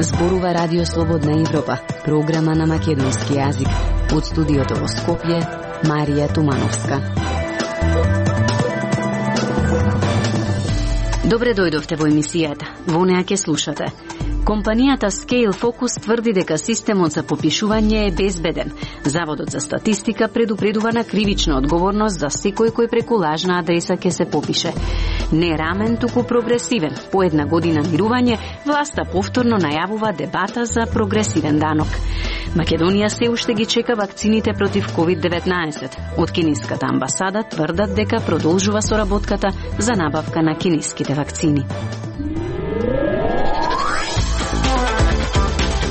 Зборува Радио Слободна Европа, програма на македонски јазик. Од студиото во Скопје, Марија Тумановска. Добре дојдовте во емисијата. Во неа ќе слушате. Компанијата Scale Focus тврди дека системот за попишување е безбеден. Заводот за статистика предупредува на кривична одговорност за секој кој преку лажна адреса ќе се попише. Не рамен, туку прогресивен. По една година мирување, власта повторно најавува дебата за прогресивен данок. Македонија се уште ги чека вакцините против COVID-19. Од кинеската амбасада тврдат дека продолжува соработката за набавка на кинеските вакцини.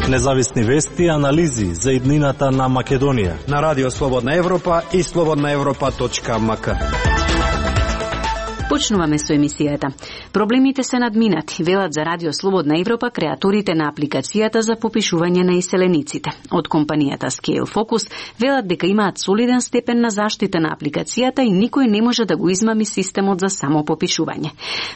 Независни вести и анализи за иднината на Македонија на Радио Слободна Европа и slobodnaevropa.mk. Почнуваме со емисијата. Проблемите се надминати, велат за Радио Слободна Европа креаторите на апликацијата за попишување на иселениците. Од компанијата Scale Focus велат дека имаат солиден степен на заштита на апликацијата и никој не може да го измами системот за самопопишување.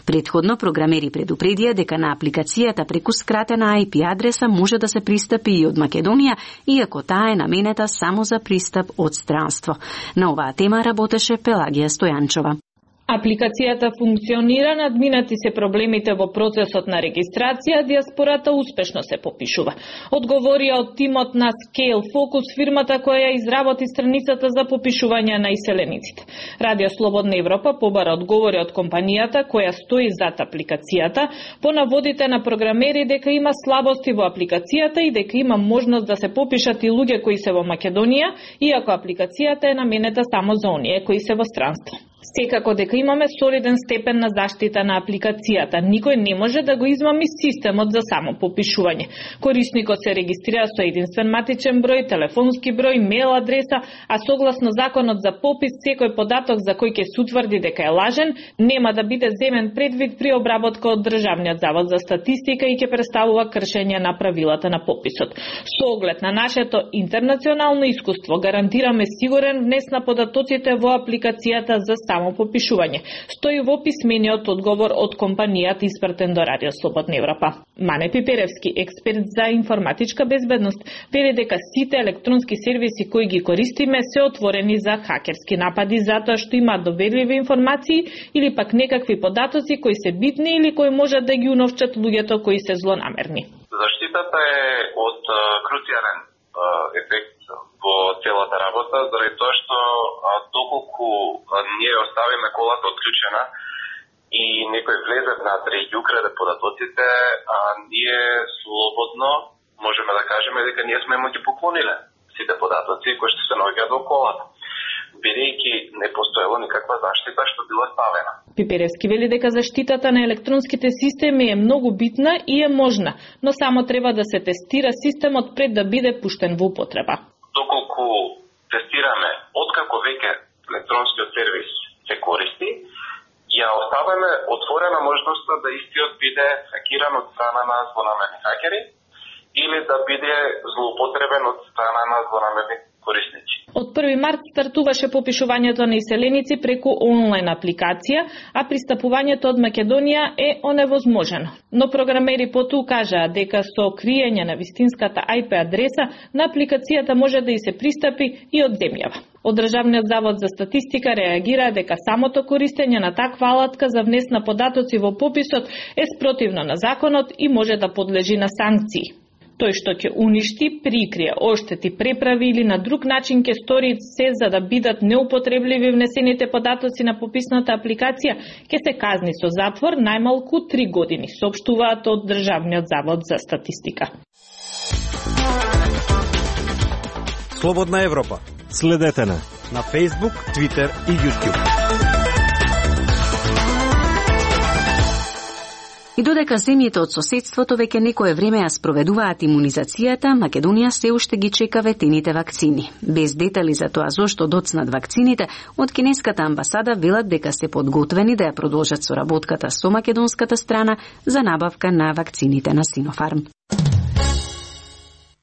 Претходно програмери предупредија дека на апликацијата преку скратена IP адреса може да се пристапи и од Македонија, иако таа е наменета само за пристап од странство. На оваа тема работеше Пелагија Стојанчова. Апликацијата функционира, надминати се проблемите во процесот на регистрација, диаспората успешно се попишува. Одговорија од тимот на Scale Focus, фирмата која ја изработи страницата за попишување на иселениците. Радио Слободна Европа побара одговори од компанијата која стои зад апликацијата, по наводите на програмери дека има слабости во апликацијата и дека има можност да се попишат и луѓе кои се во Македонија, иако апликацијата е наменета само за оние кои се во странство. Секако дека имаме солиден степен на заштита на апликацијата, никој не може да го измами системот за самопопишување. Корисникот се регистрира со единствен матичен број, телефонски број, мејл адреса, а согласно законот за попис, секој податок за кој ќе се утврди дека е лажен, нема да биде земен предвид при обработка од Државниот завод за статистика и ќе представува кршење на правилата на пописот. Со оглед на нашето интернационално искуство, гарантираме сигурен внес на податоците во апликацијата за самопопишување. Стои во писмениот одговор од компанијата испратен до Радио Слободна Европа. Мане Пиперевски, експерт за информатичка безбедност, вели дека сите електронски сервиси кои ги користиме се отворени за хакерски напади затоа што имаат доверливи информации или пак некакви податоци кои се битни или кои можат да ги уновчат луѓето кои се злонамерни. Заштитата е од круцијален ефект во целата работа, заради тоа што доколку ние оставиме колата отклучена и некој влезе внатре и ги украде податоците, ние слободно можеме да кажеме дека ние сме му ги поклониле сите податоци кои што се наоѓаат во колата, бидејќи не постоело никаква заштита што била ставена. Пиперевски вели дека заштитата на електронските системи е многу битна и е можна, но само треба да се тестира системот пред да биде пуштен во употреба. Доколку тестираме откако веќе електронскиот сервис се користи, ја оставаме отворена можноста да истиот биде хакиран од страна на злонамерни хакери или да биде злоупотребен од страна на злонамерни корисници. Од 1 март стартуваше попишувањето на иселеници преку онлайн апликација, а пристапувањето од Македонија е оневозможено. Но програмери потоа кажаа дека со криење на вистинската IP адреса на апликацијата може да и се пристапи и од земјава. Од Државниот завод за статистика реагира дека самото користење на таква алатка за внес на податоци во пописот е спротивно на законот и може да подлежи на санкции. Тој што ќе уништи, прикрие, оштети, преправи или на друг начин ќе стори се за да бидат неупотребливи внесените податоци на пописната апликација, ќе се казни со затвор најмалку 3 години, соопштуваат од Државниот завод за статистика. Слободна Европа. Следете на Facebook, Twitter и YouTube. И додека земјите од соседството веќе некое време ја спроведуваат имунизацијата, Македонија се уште ги чека ветените вакцини. Без детали за тоа зошто доцнат вакцините, од кинеската амбасада велат дека се подготвени да ја продолжат соработката со македонската страна за набавка на вакцините на Синофарм.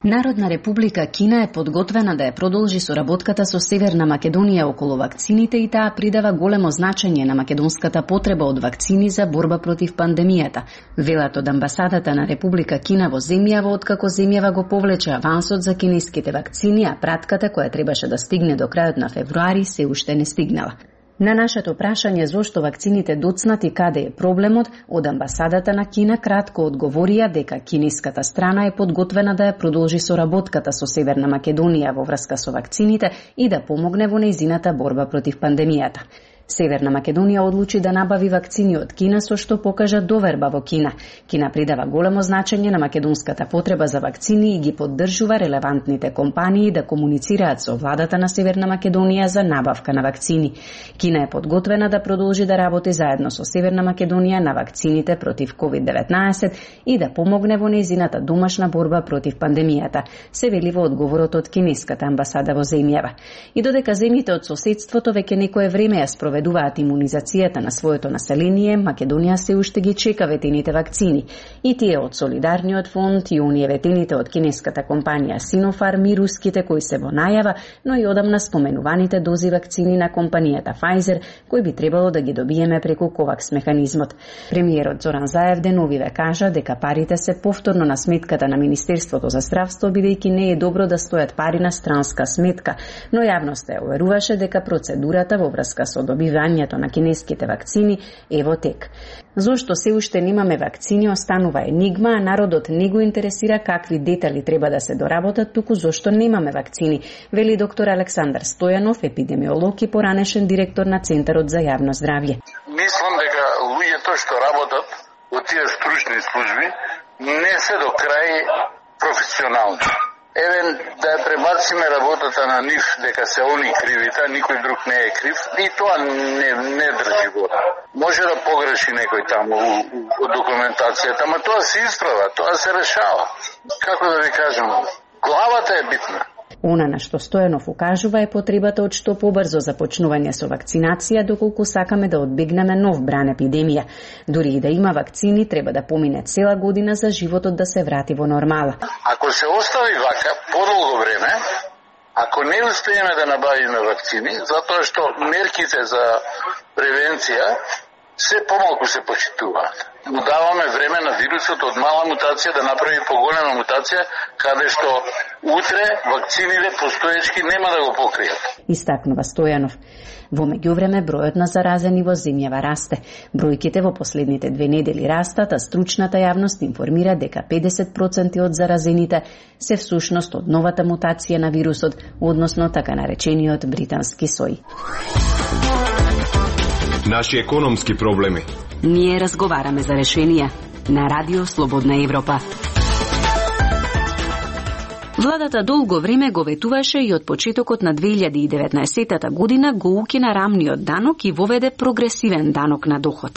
Народна република Кина е подготвена да ја продолжи соработката со Северна Македонија околу вакцините и таа придава големо значење на македонската потреба од вакцини за борба против пандемијата. Велат од амбасадата на Република Кина во земјава, откако земјава го повлече авансот за кинеските вакцини, а пратката која требаше да стигне до крајот на февруари се уште не стигнала. На нашето прашање зошто вакцините доцнат и каде е проблемот, од амбасадата на Кина кратко одговорија дека кинеската страна е подготвена да ја продолжи соработката со Северна Македонија во врска со вакцините и да помогне во нејзината борба против пандемијата. Северна Македонија одлучи да набави вакцини од Кина, со што покажа доверба во Кина. Кина придава големо значење на македонската потреба за вакцини и ги поддржува релевантните компании да комуницираат со владата на Северна Македонија за набавка на вакцини. Кина е подготвена да продолжи да работи заедно со Северна Македонија на вакцините против COVID-19 и да помогне во нејзината домашна борба против пандемијата, се вели во одговорот од кинеската амбасада во земјава. И додека земјите од соседството веќе некое време ја спроведуваат имунизацијата на своето население, Македонија се уште ги чека ветените вакцини. И тие од Солидарниот фонд и оние ветените од кинеската компанија Sinopharm и руските кои се во најава, но и одамна споменуваните дози вакцини на компанијата Pfizer, кои би требало да ги добиеме преку COVAX механизмот. Премиерот Зоран Заев деновиве кажа дека парите се повторно на сметката на Министерството за здравство, бидејќи не е добро да стојат пари на странска сметка, но јавноста ја уверуваше дека процедурата во врска со добивањето на кинеските вакцини е во тек. Зошто се уште немаме вакцини останува енигма, а народот не го интересира какви детали треба да се доработат, туку зошто немаме вакцини, вели доктор Александар Стојанов, епидемиолог и поранешен директор на Центарот за јавно здравје. Мислам дека луѓето што работат од тие стручни служби не се до крај професионални. Евен да ја пребациме работата на нив дека се они кривите, а никој друг не е крив, и тоа не држи вода. Може да погреши некој таму од документацијата, ама тоа се исправа, тоа се решава. Како да ви кажем, главата е битна. Она на што Стојанов укажува е потребата од што побрзо започнување со вакцинација, доколку сакаме да одбегнеме нов бран епидемија. Дури и да има вакцини, треба да помине цела година за животот да се врати во нормала. Ако се остави вака подолго време, ако не успееме да набавиме вакцини, затоа што мерките за превенција се помалку се почитуваат. Му даваме време на вирусот од мала мутација да направи поголема мутација, каде што утре вакцините постоечки нема да го покријат. Истакнува Стојанов. Во меѓувреме бројот на заразени во земјава расте. Бројките во последните 2 недели растат, а стручната јавност информира дека 50% од заразените се всушност од новата мутација на вирусот, односно така наречениот британски сој. Наши економски проблеми. Ние разговараме за решенија на Радио Слободна Европа. Владата долго време го ветуваше и од почетокот на 2019 година го укина рамниот данок и воведе прогресивен данок на доход.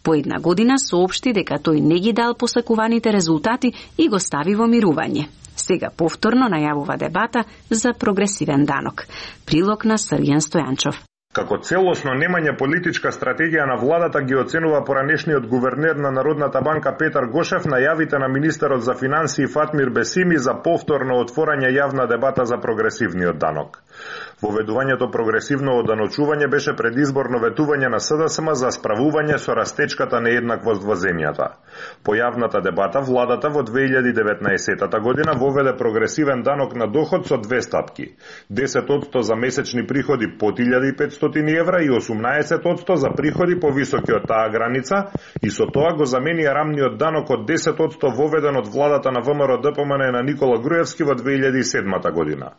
По една година соопшти дека тој не ги дал посакуваните резултати и го стави во мирување. Сега повторно најавува дебата за прогресивен данок. Прилог на Срјан Стојанчов. Како целосно немање политичка стратегија на владата ги оценува поранешниот гувернер на Народната банка Петар Гошев најавите на министерот за финансии Фатмир Бесими за повторно отворање јавна дебата за прогресивниот данок. Воведувањето прогресивно оданочување беше предизборно ветување на СДСМ за справување со растечката нееднаквост во земјата. По јавната дебата, владата во 2019 година воведе прогресивен данок на доход со 2 стапки. 10% за месечни приходи под 1500 евра и 18% за приходи повисоки од таа граница, и со тоа го заменија рамниот данок од 10% воведен од владата на ВМРО ДПМН на Никола Груевски во 2007 година.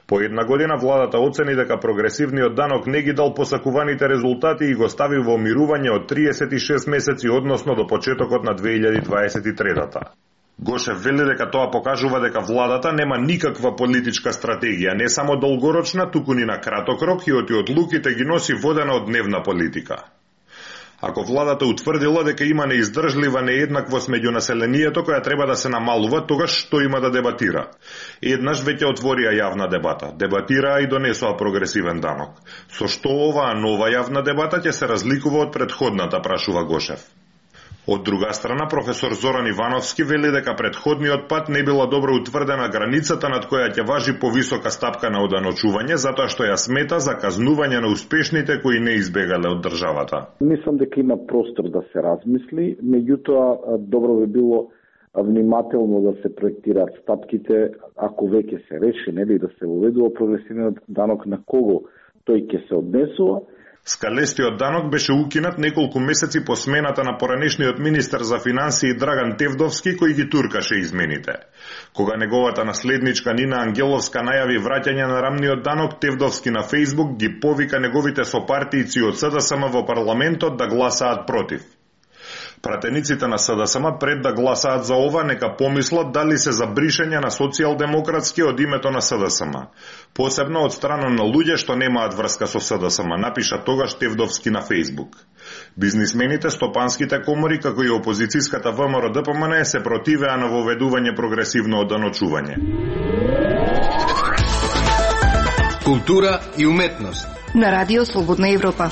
По една година владата оцени дека прогресивниот данок не ги дал посакуваните резултати и го стави во мирување од 36 месеци, односно до почетокот на 2023-та. Гошев вели дека тоа покажува дека владата нема никаква политичка стратегија, не само долгорочна, туку ни на краток рок, и од одлуките ги носи водена од дневна политика. Ако владата утврдила дека има неиздржлива нееднаквост меѓу населението која треба да се намалува, тогаш што има да дебатира? Еднаш веќе отворија јавна дебата, дебатираа и донесоа прогресивен данок. Со што оваа нова јавна дебата ќе се разликува од претходната, прашува Гошев. Од друга страна, професор Зоран Ивановски вели дека предходниот пат не била добро утврдена границата над која ќе важи повисока стапка на оданочување, затоа што ја смета за казнување на успешните кои не избегале од државата. Мислам дека има простор да се размисли, меѓутоа добро би било внимателно да се проектираат стапките, ако веќе се реши, нели, да се уведува прогресивниот данок, на кого тој ќе се однесува. Скалестиот данок беше укинат неколку месеци по смената на поранешниот министер за финансии Драган Тевдовски, кој ги туркаше измените. Кога неговата наследничка Нина Ангеловска најави враќање на рамниот данок, Тевдовски на Фејсбук ги повика неговите сопартијци од СДСМ во парламентот да гласаат против. Пратениците на СДСМ пред да гласаат за ова нека помислат дали се за бришење на социјалдемократски од името на СДСМ. Посебно од страна на луѓе што немаат врска со СДСМ, напиша тогаш Тевдовски на Фејсбук. Бизнисмените, стопанските комори, како и опозицијската ВМРО-ДПМН се противеа на воведување прогресивно оданочување. Култура и уметност на Радио Слободна Европа.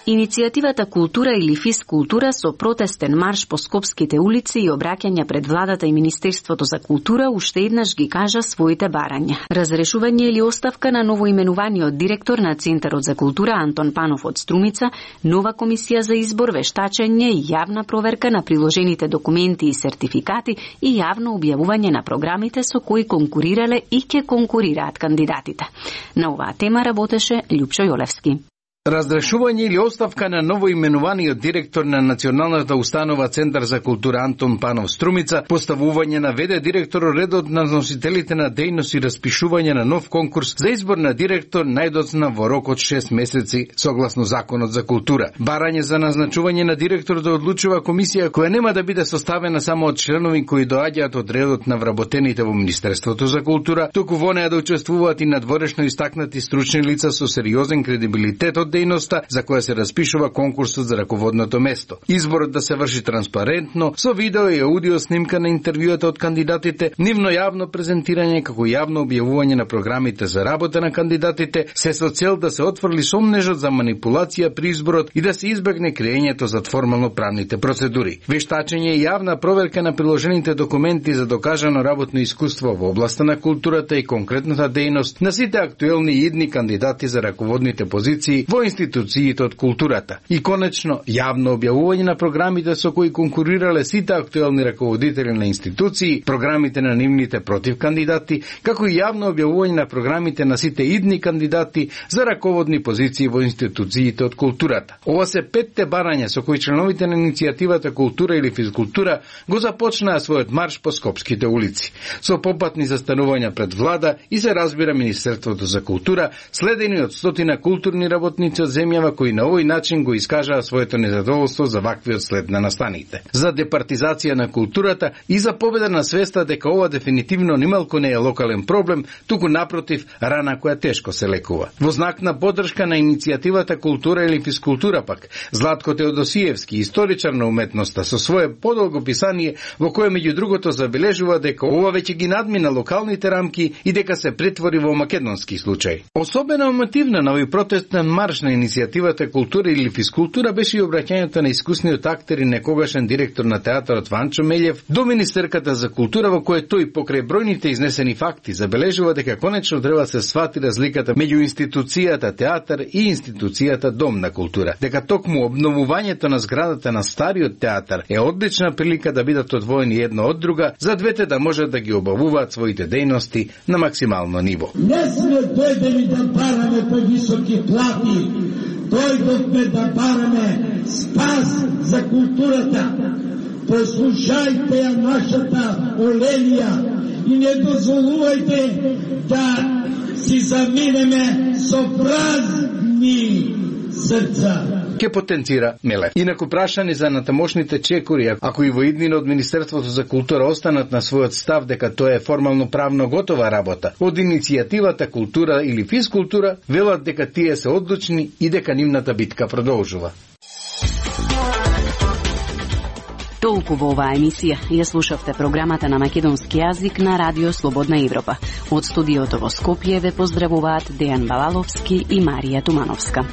Иницијативата Култура или физкултура со протестен марш по скопските улици и обраќања пред владата и Министерството за култура уште еднаш ги кажа своите барања. Разрешување или оставка на новоименуваниот директор на Центарот за култура Антон Панов од Струмица, нова комисија за избор, вештачење и јавна проверка на приложените документи и сертификати и јавно објавување на програмите со кои конкурирале и ќе конкурираат кандидатите. На оваа тема работеше Љупчо Јолевски. Разрешување или оставка на новоименуваниот директор на Националната установа Центар за култура Антон Панов Струмица, поставување на ВД директор редот на носителите на дејност и распишување на нов конкурс за избор на директор најдоцна во рок од 6 месеци согласно Законот за култура. Барање за назначување на директор да одлучува комисија која нема да биде составена само од членови кои доаѓаат од редот на вработените во Министерството за култура, туку во неа да учествуваат и надворешно истакнати стручни лица со сериозен кредибилитет од дејноста за која се распишува конкурсот за раководното место. Изборот да се врши транспарентно, со видео и аудио снимка на интервјуата од кандидатите, нивно јавно презентирање како јавно објавување на програмите за работа на кандидатите, се со цел да се отфрли сомнежот за манипулација при изборот и да се избегне креењето за формално правните процедури. Вештачење и јавна проверка на приложените документи за докажано работно искуство во областа на културата и конкретната дејност на сите актуелни и идни кандидати за раководните позиции во институциите од културата. И конечно, јавно објавување на програмите со кои конкурирале сите актуелни раководители на институции, програмите на нивните против кандидати, како и јавно објавување на програмите на сите идни кандидати за раководни позиции во институциите од културата. Ова се 5 барања со кои членовите на иницијативата Култура или физкултура го започнаа својот марш по скопските улици. Со попатни застанувања пред влада и се разбира Министерството за култура, следени од стотина културни работници од земјава кои на овој начин го искажаа своето незадоволство за ваквиот след на настаните. За департизација на културата и за победа на свеста дека ова дефинитивно нималку не е локален проблем, туку напротив рана која тешко се лекува. Во знак на поддршка на иницијативата Култура или физкултура пак, Златко Теодосиевски, историчар на уметноста, со свое подолго писание во кое меѓу другото забележува дека ова веќе ги надмина локалните рамки и дека се претвори во македонски случај. Особено емотивна на овој протестен марш на иницијативата Култура или физкултура беше и обраќањето на искусниот актер и некогашен директор на театарот Ванчо Мелјев до Министерката за култура, во кое тој покрај бројните изнесени факти забележува дека конечно треба се свати разликата меѓу институцијата театар и институцијата Дом на култура, дека токму обновувањето на зградата на стариот театар е одлична прилика да бидат одвоени една од друга, за двете да можат да ги обавуваат своите дејности на максимално ниво. Не сме дојдени да бараме повисоки плати, дојдовме да бараме спас за културата. Послушајте ја нашата Оленија и не дозволувајте да си заминеме со празни срца. Ке потенцира Мелев. Инаку прашани за натамошните чекори, ако и во иднина од Министерството за култура останат на својот став дека тоа е формално правно готова работа, од иницијативата Култура или физкултура велат дека тие се одлучни и дека нивната битка продолжува. Толку во оваа емисија. Ја слушавте програмата на македонски јазик на Радио Слободна Европа. Од студиото во Скопје ве поздравуваат Дејан Балаловски и Марија Тумановска.